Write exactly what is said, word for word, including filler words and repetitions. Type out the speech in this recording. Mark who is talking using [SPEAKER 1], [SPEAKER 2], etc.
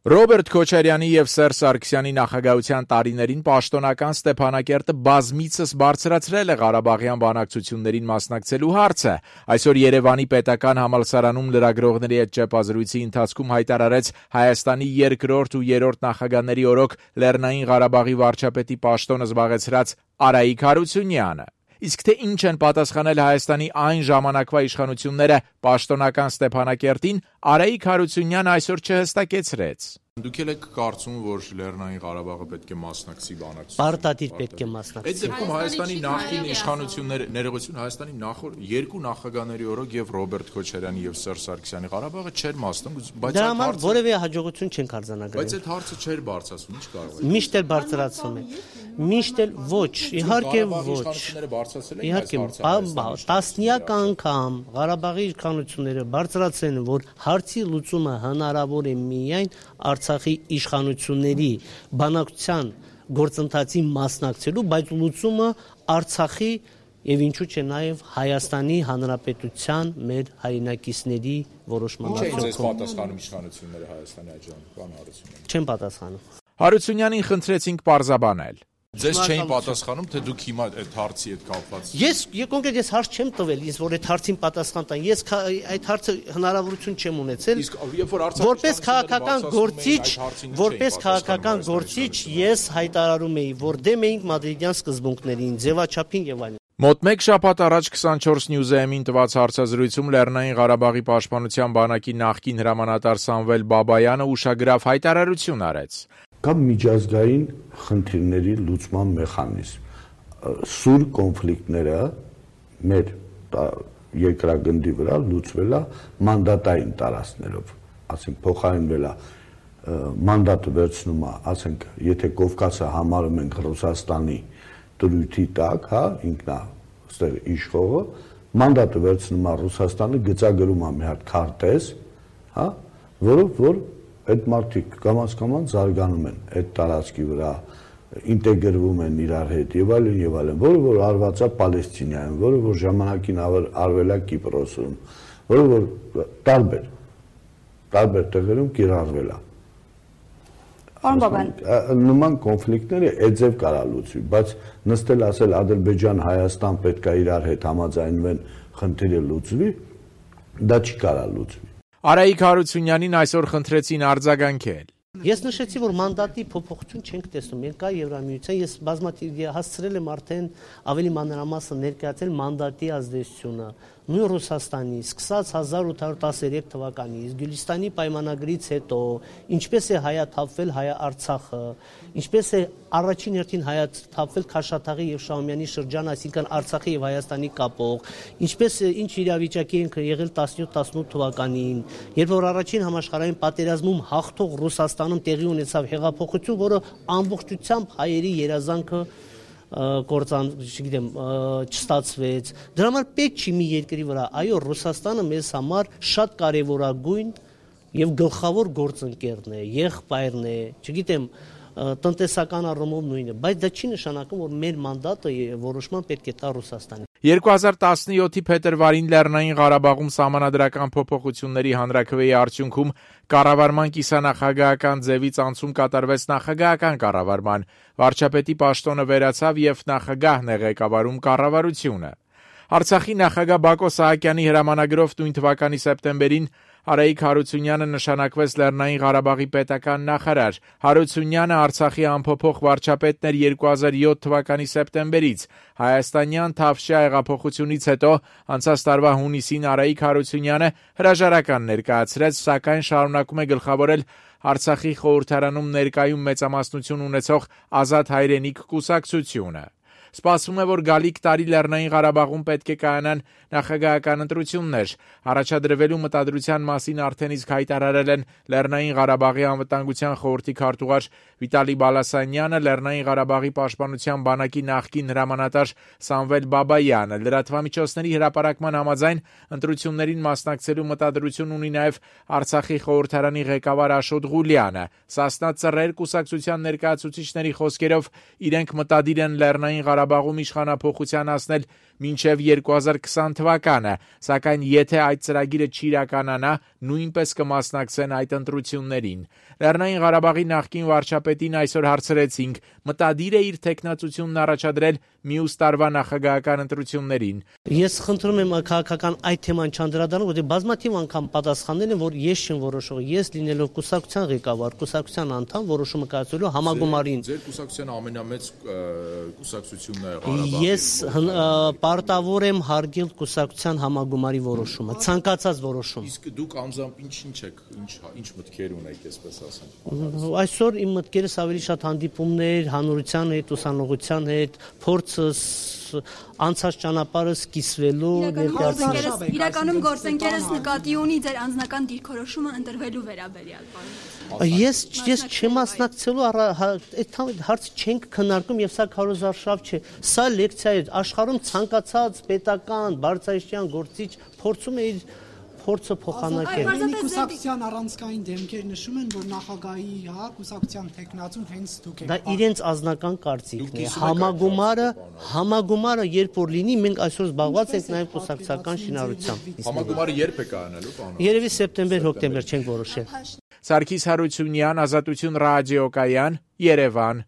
[SPEAKER 1] Ռոբերտ Քոչարյանի և Սերժ Սարգսյանի նախագահության տարիներին պաշտոնական Ստեփանակերտը բազմիցս բարձրացրել է Ղարաբաղյան բանակցություններին մասնակցելու հարցը։ Այսօր Երևանի պետական համալսարանում լրագրողների հետ ճեպազրույցի ընթացքում հայտարարեց Հայաստանի երկրորդ ու երրորդ նախագահների օրոք Լեռնային Ղարաբաղի վարչապետի պաշտոնը զբաղեցրած Արայիկ Հարությունյանը։ Իսկ թե ինչ են պատասխանել Հայաստանի այն ժամանակվա իշխանությունները պաշտոնական Ստեփանակերտին, Արայիկ Հարությունյանը այսօր չհստակեցրեց։
[SPEAKER 2] Դուք եք կարծում, որ Լեռնային Ղարաբաղը պետք է մասնակցի բանակցություններին։
[SPEAKER 3] Պարտադիր պետք է մասնակցի։
[SPEAKER 2] Այդ դեպքում Հայաստանի նախկին իշխանությունները, ներողություն, Հայաստանի նախորդ երկու նախագահների օրոք եւ Ռոբերտ Քոչարյանի եւ Սերժ Սարգսյանի Ղարաբաղը չէր մասնակցում, բայց
[SPEAKER 3] դրա համար որևէ հաջողություն չենք արձանագրել։
[SPEAKER 2] Բայց այդ հարցը չէր բարձրացվում, ի՞նչ կարող է։
[SPEAKER 3] Միշտ էլ բարձրացում է։ Միշտ էլ ոչ, իհարկե ոչ։ Իհարկե, տասնյակ անգամ Ղարաբաղի իշխանությունները բարձրացրել են, որ հարցի լուծումը հնարավոր է միայն Արցախի իշխանությունների բանակցության գործընթացի մասնակցելու, բայց լուծումը Արցախի եւ ինչու՞ չէ նաեւ Հայաստանի Հանրապետության մեր հայրենակիցների որոշման
[SPEAKER 2] արդյունքում։ Չէ, պատասխանում իշխանությունները Հայաստանի աջան, բան Հարությունյանը։
[SPEAKER 3] Չեն պատասխանում։
[SPEAKER 1] Հարությունյանին խնդրեցինք պարզաբանել։
[SPEAKER 2] Ձեզ չէին պատասխանում, թե դուք հիմա այդ հարցի հետ կապված։
[SPEAKER 3] Ես կոնկրետ ես հարց չեմ տվել, ես որ այդ հարցին պատասխան տան։ Ես այդ հարցը հնարավորություն չեմ ունեցել։
[SPEAKER 2] Իսկ երբ որ Արցախի
[SPEAKER 3] որպես քաղաքական գործիչ, որպես քաղաքական գործիչ ես հայտարարում էի, որ դեմ էինք մադրիդյան սկզբունքներին, ձևաչափին եւ այլն։
[SPEAKER 1] Մոտ մեկ շաբաթ առաջ քսանչորս News-ը-ին տված հարցազրույցում Լեռնային Ղարաբաղի պաշտպանության բանակի նախկին հրամանատար Սամվել Բաբայանը ուշագրավ հայտարարություն արեց։
[SPEAKER 4] Կամ միջազգային խնդիրների լուծման մեխանիզմ։ Սուր կոնֆլիկտները մեր երկրագնդի վրա լուծվել է մանդատային տարածքներով, ասենք փոխարինվել է մանդատը վերցնում է, ասենք, եթե Կովկասը համարում ենք Ռուսաստանի դրույթի տակ, հա, ինքնա այստեղ իշխողը, մանդատը վերցնում է Ռուսաստանը, գծագրում է մի հատ քարտեզ, հա, որով որ այդ մարդիկ կամաց-կամաց զարգանում են այդ տարածքի վրա, ինտեգրվում են իրար հետ եւ այլն եւ այլն, որը որ արված է Պալեստինայում, որը որ ժամանակին արվել է Կիպրոսում, որը որ տարբեր տարբեր տեղերում կիրառվել է։ Նման կոնֆլիկտները այդձև կարա լուծվի, բայց նստել ասել Ադրբեջան, Հայաստան պետք է իրար հետ համաձայնվեն, խնդիրը լուծվի, դա չի կարա լուծվի։
[SPEAKER 1] Արայիկ Հարությունյանին այսօր խնդրեցին արձագանքել։
[SPEAKER 3] Ես նշեցի, որ մանդատի փոփոխություն չենք տեսնում, մենք կա Եվրամիության, ես բազմաթիվ հասցրել եմ արդեն ավելի մանրամասն ներկայացել մանդատի ազդեցությունը նույն Ռուսաստանի, սկսած հազար ութ հարյուր տասներեք թվականից, Գյուլիստանի պայմանագրից հետո, ինչպես է հայաթափվել Հայ-Արցախը, ինչպես է առաջին հերթին հայաթափվել Քաշաթաղի եւ Շահումյանի շրջանը, այսինքն Արցախի եւ Հայաստանի կապող, ինչպես է ինչ իրավիճակի ենք եղել տասնյոթ տասնութ թվականին, երբ որ առաջին համաշխարհային պատերազմում հաղթող Ռուսաստանում տեղի ունեցավ հեղափոխություն, որը ամբողջությամբ հայերի երազանքը գործան, չգիտեմ, չստացվեց։ Դրա համար պետք չի մի երկրի վրա, այո, Ռուսաստանը մեզ համար շատ կարևորագույն եւ գլխավոր գործընկերն է, եղբայրն է, չգիտեմ, տնտեսական առումով նույնը, բայց դա չի նշանակում, որ մեր մանդատը որոշման պետք է տա Ռուսաստանին։
[SPEAKER 1] երկու հազար տասնյոթի փետրվարին Լեռնային Ղարաբաղում սահմանադրական փոփոխությունների հանրաքվեի արդյունքում կառավարման կիսանախագահական ձևից անցում կատարվեց նախագահական կառավարման, վարչապետի պաշտոնը վերացավ եւ նախագահն է ղեկավարում կառավարությունը։ Արցախի նախագահ Բակո Սահակյանի հրամանագրով նույն թվականի սեպտեմբերին Արայիկ Հարությունյանը նշանակվեց Լեռնային Ղարաբաղի պետական նախարար։ Հարությունյանը Արցախի անփոփոխ վարչապետն էր երկու հազար յոթ թվականի սեպտեմբերից։ Հայաստանյան Թավշյա հեղափոխությունից հետո անցած տարվա հունիսին Արայիկ Հարությունյանը հրաժարական ներկայացրեց, սակայն շարունակում է գլխավորել Արցախի խորհրդարանում ներկայում մեծամասնություն ունեցող Ազատ հայրենիք կուսակցությունը։ Սպասվում է, որ գալիք տարի Լեռնային Ղարաբաղում պետք է կայանան նախագահական ընտրություններ։ Առաջադրվելու մտադրության մասին արդեն իսկ հայտարարել են Լեռնային Ղարաբաղի անվտանգության խորհրդի քարտուղար Վիտալի Բալասանյանը, Լեռնային Ղարաբաղի պաշտպանության բանակի նախկին հրամանատար Սամվել Բաբայանը։ Լրատվամիջոցների հրապարակման համաձայն ընտրություններին մասնակցելու մտադրություն ունի նաև Արցախի խորհրդարանի ղեկավար Աշոտ Ղուլյանը։ Սասնա Ծռեր կուսակցության ներկայացուցիչների խոսքերով իրենք մտադիր են Լեռնային Ղարաբաղում իշխանափոխության հասնել մինչև երկու հազար քսան թվականը, սակայն եթե այդ ծրագիրը չիրականանա, նույնպես կմասնակցեն այդ ընտրություններին։ Լեռնային Ղարաբաղի նախկին վարչապետին այսօր հարցրեցինք, մտադիր է իր տեխնացությունն առաջադրել մյուս տարվա նախագահական ընտրություններին։
[SPEAKER 3] Ես խնդրում եմ քաղաքական այդ թեման չանդրադառնալ, որտեղ բազմաթիվ անգամ պատասխանել եմ, որ ես չեմ որոշողը, ես լինելով կուսակցության ղեկավար, կուսակցության անդամ, որոշումը կայացնելու համագումարին։
[SPEAKER 2] Ձեր կուսակցության ամենամեծ կուսակցությունն է Ղարաբաղի։
[SPEAKER 3] Ես պարտավոր եմ հարգել կուսակցության համագումարի որոշումը, ցանկացած որոշում։
[SPEAKER 2] Իսկ դուք անձամբ ինչ-ինչ եք, ինչ ինչ մտքեր ունեք, այսպես ասեմ։
[SPEAKER 3] Այսօր իմ մտքերս ավելի շատ հանդիպումներ, հանրության հետ, ուսանողության հետ, փորձս, անցած ճանապարհս կիսվելու
[SPEAKER 5] ներկայացնելու։ Իրականում գործընկերս նկատի ունի ձեր անձնական դիրքորոշումը ընտրվելու վերաբերյալ։
[SPEAKER 3] Ես ես չմասնակցելու այդ հարցը չենք քննարկում եւ սա քարոզարշավ չէ։ Սա լեկցիա է, աշխարհում ցանկացած պետական բարձրաստիճան գործիչ փորձում է իր փորձը փոխանակել։
[SPEAKER 6] Այնի կուսակցության առանցքային դեմքեր նշում են, որ նախագահի, հա, կուսակցության տեխնացուն հենց դուք եք։
[SPEAKER 3] Դա իրենց անձնական կարծիքն է։ Համագումարը, համագումարը երբ որ լինի, մենք այսօր զբաղված ենք նաև կուսակցական շինարարությամբ։
[SPEAKER 2] Համագումարը երբ է կայանալու, պարոն։
[SPEAKER 3] Երևի սեպտեմբեր-հոկտեմբեր չենք որոշել։
[SPEAKER 1] Սարգիս Հարությունյան, Ազատություն ռադիոկայան, Երևան։